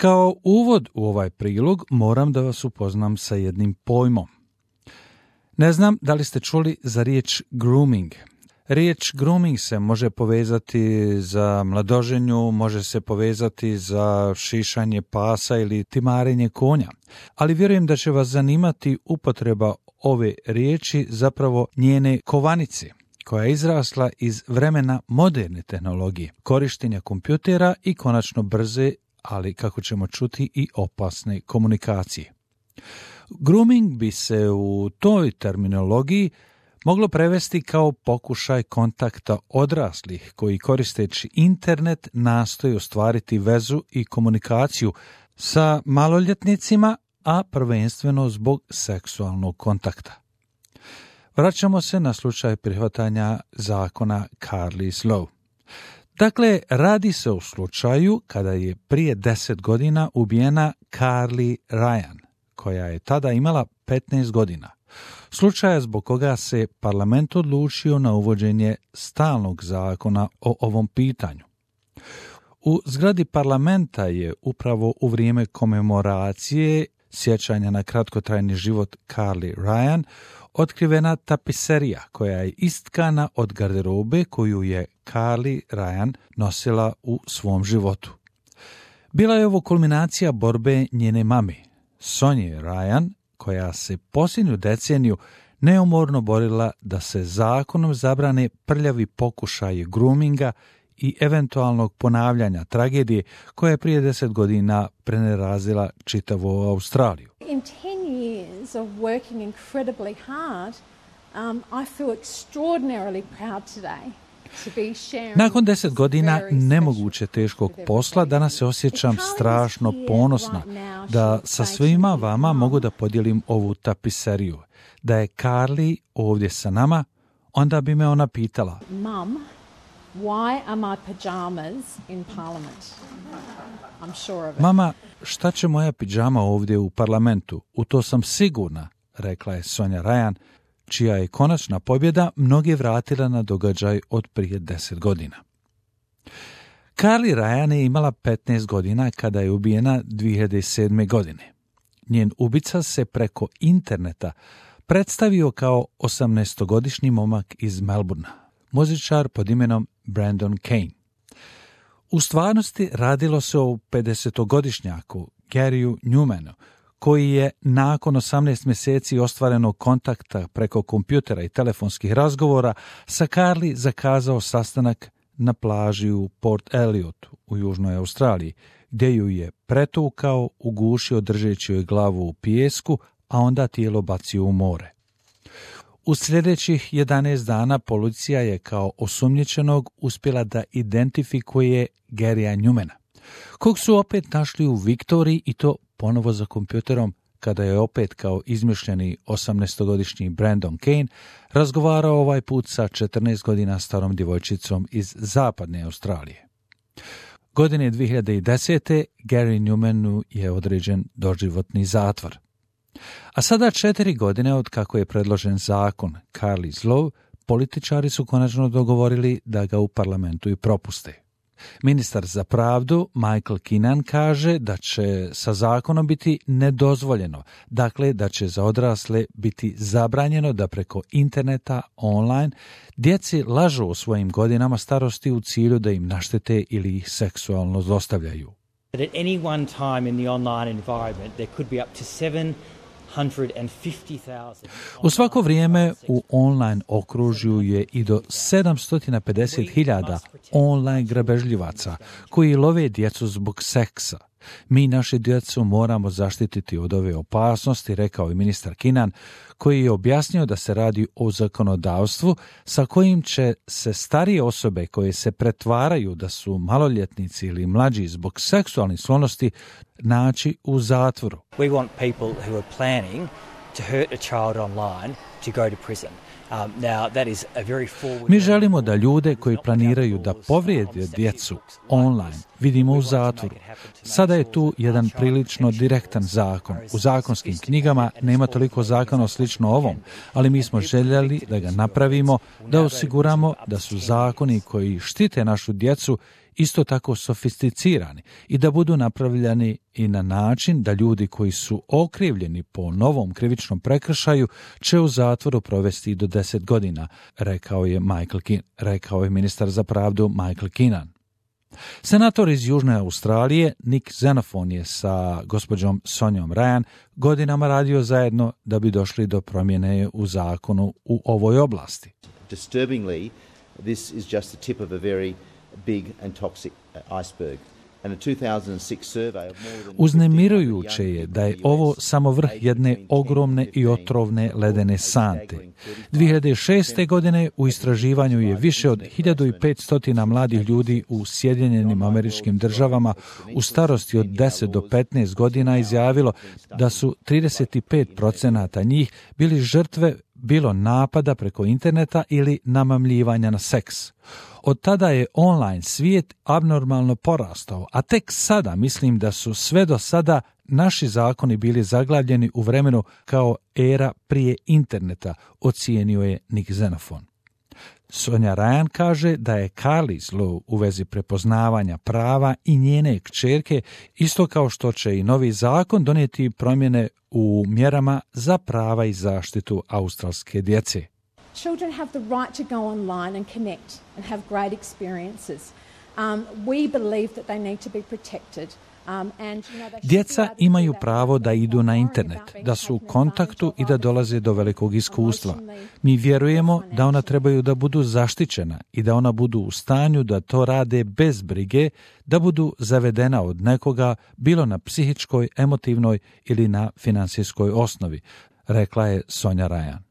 Kao uvod u ovaj prilog moram da vas upoznam sa jednim pojmom. Ne znam da li ste čuli za riječ grooming. Riječ grooming se može povezati za mladoženju, može se povezati za šišanje pasa ili timarenje konja, ali vjerujem da će vas zanimati upotreba ove riječi, zapravo njene kovanice, koja je izrasla iz vremena moderne tehnologije, korištenja kompjutera i konačno brze, ali kako ćemo čuti i opasne komunikacije. Grooming bi se u toj terminologiji moglo prevesti kao pokušaj kontakta odraslih koji koristeći internet nastoji ostvariti vezu i komunikaciju sa maloljetnicima, a prvenstveno zbog seksualnog kontakta. Vraćamo se na slučaj prihvatanja zakona Carly's Law. Dakle, radi se o slučaju kada je prije 10 godina ubijena Carly Ryan, koja je tada imala 15 godina. Slučaja zbog koga se parlament odlučio na uvođenje stalnog zakona o ovom pitanju. U zgradi parlamenta je upravo u vrijeme komemoracije sjećanja na kratkotrajni život Carly Ryan otkrivena tapiserija koja je istkana od garderobe koju je Carly Ryan nosila u svom životu. Bila je ovo kulminacija borbe njene mame, Sonje Ryan, koja se posljednju deceniju neumorno borila da se zakonom zabrane prljavi pokušaji groominga i eventualnog ponavljanja tragedije koja je prije 10 godina prenerazila čitavu Australiju. In 10 years of working incredibly hard, I feel extraordinarily proud today. Nakon 10 godina nemoguće teškog posla, danas se osjećam strašno ponosna da sa svima vama mogu da podijelim ovu tapiseriju. Da je Carly ovdje sa nama, onda bi me ona pitala: Mum, why are my pajamas in Parliament? I'm sure of it. Mama, šta će moja pidžama ovdje u parlamentu? U to sam sigurna, rekla je Sonja Ryan, čija je konačna pobjeda mnoge vratila na događaj od prije 10 godina. Carly Ryan je imala 15 godina kada je ubijena 2007. godine. Njen ubica se preko interneta predstavio kao 18-godišnji momak iz Melbournea, muzičar pod imenom Brandon Kane. U stvarnosti radilo se o 50-godišnjaku Garyu Newmanu, koji je nakon 18 mjeseci ostvarenog kontakta preko kompjutera i telefonskih razgovora sa Carly zakazao sastanak na plaži u Port Eliotu u Južnoj Australiji, gdje ju je pretukao, ugušio držeći joj glavu u pijesku, a onda tijelo bacio u more. U sljedećih 11 dana policija je kao osumnjičenog uspjela da identifikuje Garya Newmana, kog su opet našli u Viktoriji i to ponovo za kompjuterom, kada je opet kao izmišljeni 18-godišnji Brandon Kane razgovarao ovaj put sa 14 godina starom djevojčicom iz zapadne Australije. Godine 2010. Garyu Newmanu je određen doživotni zatvor. A sada 4 godine od kako je predložen zakon Carly's Law, političari su konačno dogovorili da ga u parlamentu i propuste. Ministar za pravdu Michael Keenan kaže da će sa zakonom biti nedozvoljeno, dakle da će za odrasle biti zabranjeno da preko interneta online djeci lažu o svojim godinama starosti u cilju da im naštete ili ih seksualno zlostavljaju. At any one time in the online environment there could be up to 750,000. U svako vrijeme u online okružju je i do 750.000 online grabežljivaca koji love djecu zbog seksa. Mi našu djecu moramo zaštititi od ove opasnosti, rekao je ministar Keenan, koji je objasnio da se radi o zakonodavstvu sa kojim će se starije osobe koje se pretvaraju da su maloljetnici ili mlađi zbog seksualnih sklonosti naći u zatvoru. We want people who are planning to hurt a child online to go to prison. Now that is a very forward. Mi želimo da ljude koji planiraju da povrijede djecu online vidimo u zatvoru. Sada je tu jedan prilično direktan zakon. U zakonskim knjigama nema toliko zakona slično ovom, ali mi smo željeli da ga napravimo, da osiguramo da su zakoni koji štite našu djecu isto tako sofisticirani i da budu napravljeni i na način da ljudi koji su okrivljeni po novom krivičnom prekršaju će u zatvoru provesti i do 10 godina, rekao je ministar za pravdu Michael Keenan. Senator iz Južne Australije Nick Xenophon je sa gospođom Sonjom Ryan godinama radio zajedno da bi došli do promjene u zakonu u ovoj oblasti. Disturbingly, this is just the tip of a very big and toxic iceberg. Uznemirujuće je da je ovo samo vrh jedne ogromne i otrovne ledene sante. 2006. godine u istraživanju je više od 1500 mladih ljudi u Sjedinjenim Američkim Državama u starosti od 10 do 15 godina izjavilo da su 35% njih bili žrtve bilo napada preko interneta ili namamljivanja na seks. Od tada je online svijet abnormalno porastao, a tek sada mislim da su sve do sada naši zakoni bili zaglavljeni u vremenu kao era prije interneta, ocijenio je Nick Xenophon. Sonja Ryan kaže da je Carly's Law u vezi prepoznavanja prava i njene kćerke, isto kao što će i novi zakon donijeti promjene u mjerama za prava i zaštitu australske djece. Children have the right to go online and connect and have great experiences. We believe that they need to be protected. Djeca imaju pravo da idu na internet, da su u kontaktu i da dolaze do velikog iskustva. Mi vjerujemo da ona trebaju da budu zaštićena i da ona budu u stanju da to rade bez brige, da budu zavedena od nekoga, bilo na psihičkoj, emotivnoj ili na finansijskoj osnovi, rekla je Sonja Ryan.